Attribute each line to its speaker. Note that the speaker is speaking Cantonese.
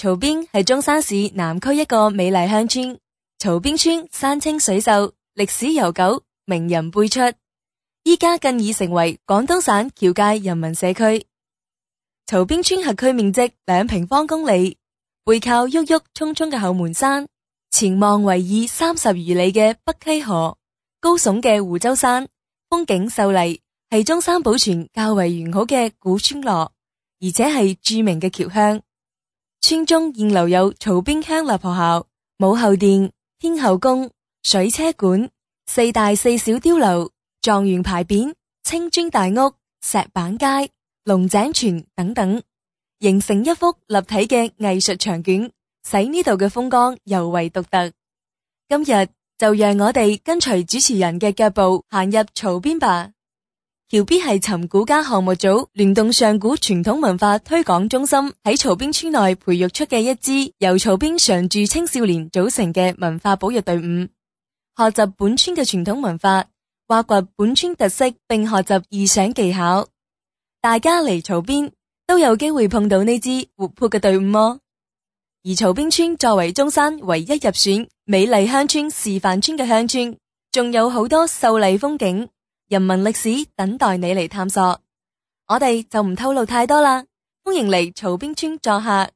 Speaker 1: 曹邊係中山市南區一個美麗鄉村。曹邊村山清水秀，歷史悠久，名人輩出。依家更已成為廣東省僑界人民社區。曹邊村轄區面積2平方公里，背靠鬱鬱蔥蔥嘅後門山，前望圍以30餘里嘅北溪河，高聳嘅湖州山，風景秀麗，係中山保存較為完好嘅古村落，而且係著名嘅僑鄉。村中現留有曹邊鄉立學校、武後殿、天后宮、水車館、4大4小碉樓、狀元牌匾、青磚大屋、石板街、龍井泉等等，形成一幅立體嘅藝術牆卷，使呢度嘅風光尤為獨特。今日就讓我哋跟隨主持人嘅腳步行入曹邊吧。僑邊係尋古家項目組聯動上古傳統文化推廣中心喺曹邊村內培育出嘅一支由曹邊常住青少年組成嘅文化保育隊伍，學習本村嘅傳統文化，挖掘本村特色，並學習異想技巧。大家嚟曹邊都有機會碰到呢支活潑嘅隊伍哦。而曹邊村作為中山唯一入選美麗鄉村示範村嘅鄉村，仲有好多秀麗風景、人文歷史等待你嚟探索。我哋就唔透露太多啦，歡迎嚟曹邊村作客。